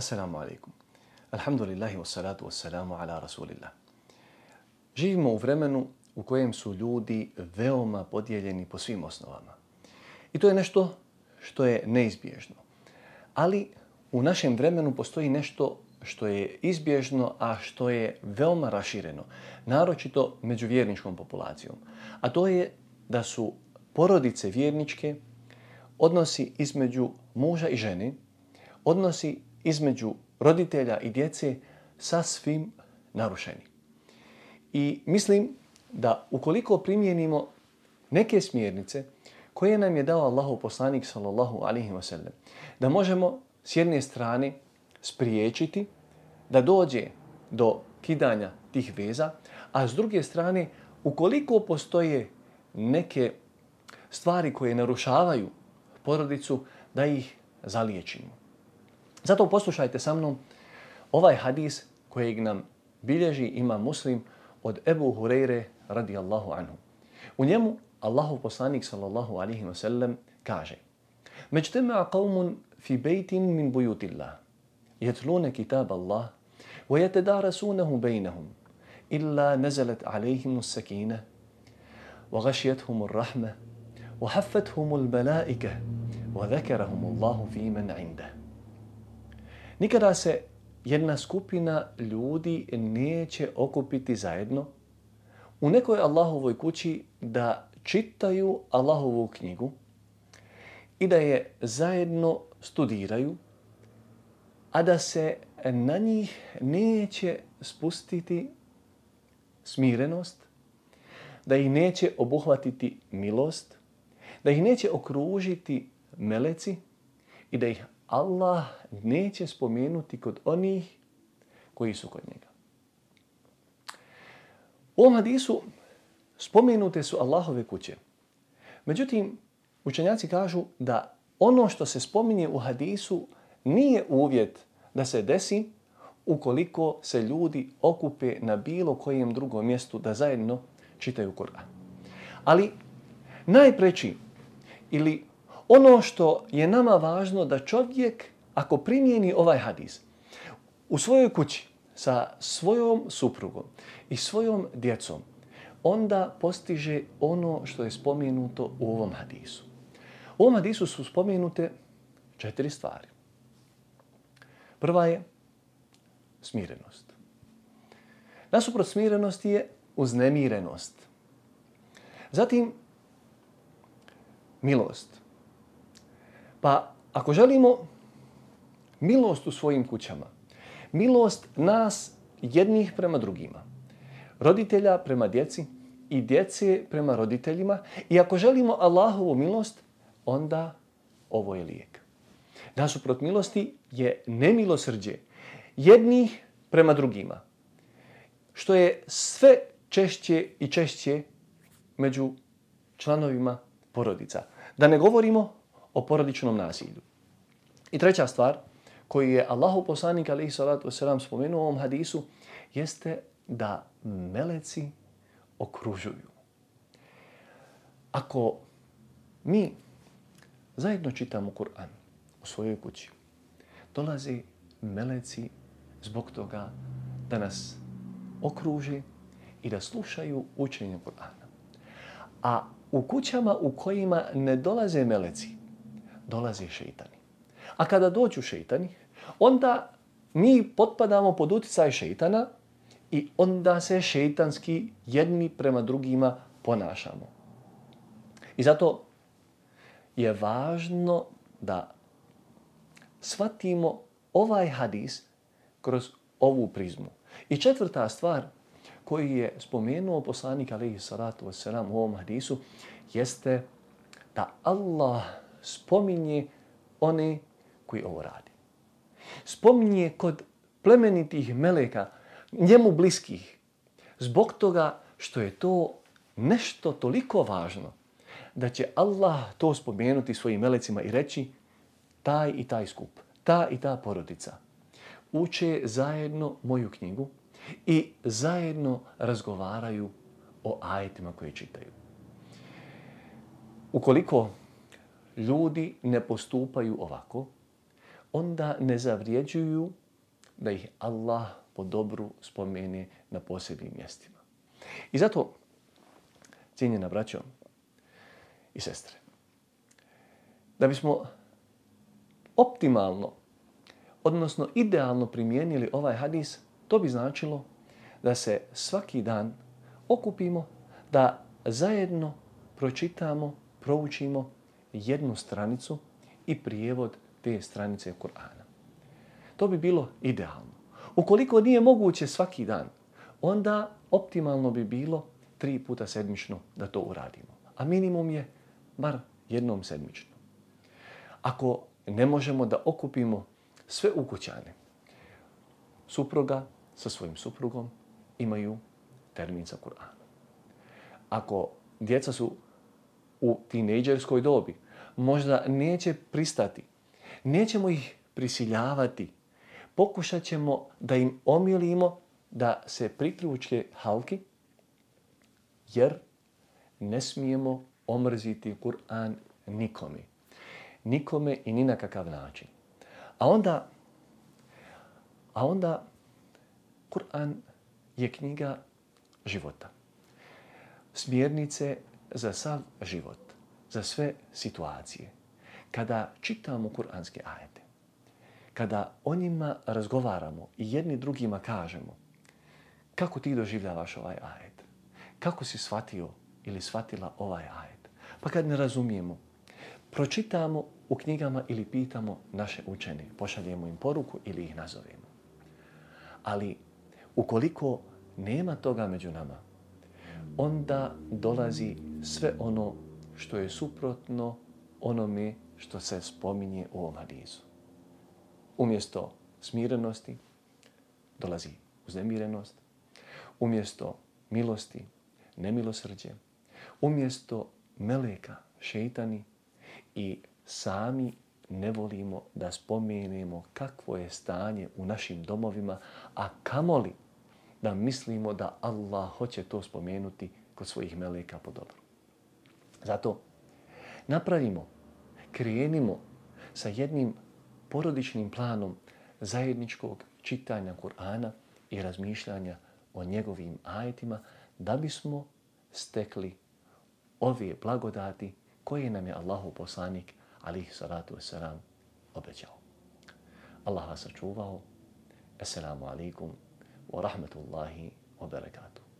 Assalamu alaikum. Alhamdulillahi wassalatu wassalamu ala rasulillah. Živimo u vremenu u kojem su ljudi veoma podijeljeni po svim osnovama. I to je nešto što je neizbježno. Ali u našem vremenu postoji nešto što je izbježno, a što je veoma rašireno, naročito među vjerničkom populacijom. A to je da su porodice vjerničke, odnosi između muža i žene, odnosi između roditelja i djece sasvim narušeni. I mislim da ukoliko primijenimo neke smjernice koje nam je dao Allahov poslanik sallallahu alejhi ve sellem, da možemo s jedne strane spriječiti da dođe do kidanja tih veza, a s druge strane ukoliko postoje neke stvari koje narušavaju porodicu, da ih zaliječimo. Zato poslušajte sa mnom ovaj hadis kojeg nam bilježi Imam Muslim od Ebu Hureyre radijallahu anhu. U njemu Allahov poslanik sallallahu alejhi ve sellem kaže: "Majtama'a qaumun fi baytin min buyutillah, yatluna kitab Allah wa yatadarasunahu baynahum, illa nazalat alayhim as-sakinah wa ghashiyatuhum ar-rahmah wa haffathum al-mala'ikah wa dhakarahum Allahu fi man 'indah." Nikada se jedna skupina ljudi neće okupiti zajedno u nekoj Allahovoj kući da čitaju Allahovu knjigu i da je zajedno studiraju, a da se na njih neće spustiti smirenost, da ih neće obuhvatiti milost, da ih neće okružiti meleci i da ih Allah neće spomenuti kod onih koji su kod njega. U ovom hadisu spomenute su Allahove kuće. Međutim, učenjaci kažu da ono što se spominje u hadisu nije uvjet da se desi ukoliko se ljudi okupe na bilo kojem drugom mjestu da zajedno čitaju Kur'an. Ali najpreći ili ono što je nama važno da čovjek, ako primijeni ovaj hadis u svojoj kući sa svojom suprugom i svojom djecom, onda postiže ono što je spomenuto u ovom hadisu. U ovom hadisu su spomenute 4 stvari. Prva je smirenost. Nasuprot smirenosti je uznemirenost. Zatim milost. Pa ako želimo milost u svojim kućama, milost nas jednih prema drugima, roditelja prema djeci i djece prema roditeljima, i ako želimo Allahovu milost, onda ovo je lijek. Nasuprot milosti je nemilosrđe jednih prema drugima, što je sve češće i češće među članovima porodica. Da ne govorimo o porodičnom nasilju. I treća stvar koju je Allahov poslanik alejhi salatu vesselam spomenuo u ovom hadisu jeste da meleci okružuju. Ako mi zajedno čitamo Kur'an u svojoj kući, dolaze meleci zbog toga da nas okruže i da slušaju učenje Kur'ana. A u kućama u kojima ne dolaze meleci, dolaze šejtani. A kada dođu šejtani, onda mi potpadamo pod utjecaj šejtana i onda se šejtanski jedni prema drugima ponašamo. I zato je važno da shvatimo ovaj hadis kroz ovu prizmu. I četvrta stvar koju je spomenuo poslanik alejhi salatu vesselam u ovom hadisu jeste da Allah spominje one koji ovo radi. Spominje kod plemenitih meleka, njemu bliskih, zbog toga što je to nešto toliko važno da će Allah to spomenuti svojim melecima i reći: taj i taj skup, ta i ta porodica uče zajedno moju knjigu i zajedno razgovaraju o ajetima koje čitaju. Ukoliko ljudi ne postupaju ovako, onda ne zavrijeđuju da ih Allah po dobru spomene na posebnim mjestima. I zato, cijenjena braćo i sestre, da bismo optimalno, odnosno idealno primijenili ovaj hadis, to bi značilo da se svaki dan okupimo, da zajedno pročitamo, proučimo jednu stranicu i prijevod te stranice Kur'ana. To bi bilo idealno. Ukoliko nije moguće svaki dan, onda optimalno bi bilo 3 puta sedmično da to uradimo. A minimum je bar jednom sedmično. Ako ne možemo da okupimo sve ukućane, supruga sa svojim suprugom imaju termin sa Kur'anom. Ako djeca su u tinejdžerskoj dobi, možda neće pristati, nećemo ih prisiljavati, pokušat ćemo da im omilimo da se priključe halki, jer ne smijemo omrziti Kur'an nikome. Nikome i ni na kakav način. A onda Kur'an je knjiga života. Smjernice za sav život, za sve situacije. Kada čitamo kur'anske ajete, kada o njima razgovaramo i jedni drugima kažemo kako ti doživljavaš ovaj ajet, kako si shvatio ili shvatila ovaj ajet. Pa kad ne razumijemo, pročitamo u knjigama ili pitamo naše učene, pošaljemo im poruku ili ih nazovemo. Ali ukoliko nema toga među nama, onda dolazi sve ono što je suprotno onome što se spominje u ovom hadisu. Umjesto smirenosti dolazi uznemirenost, umjesto milosti nemilosrđe, umjesto meleka šejtani i sami ne volimo da spomenemo kakvo je stanje u našim domovima, a kamoli da mislimo da Allah hoće to spomenuti kod svojih meleka po dobru. Zato krenimo sa jednim porodičnim planom zajedničkog čitanja Kur'ana i razmišljanja o njegovim ajetima da bismo stekli ove blagodati koje nam je Allahov poslanik alejhi salatu vesselam obećao. Allah vas sačuvao. Assalamu alaikum wa rahmatullahi wa barakatuh.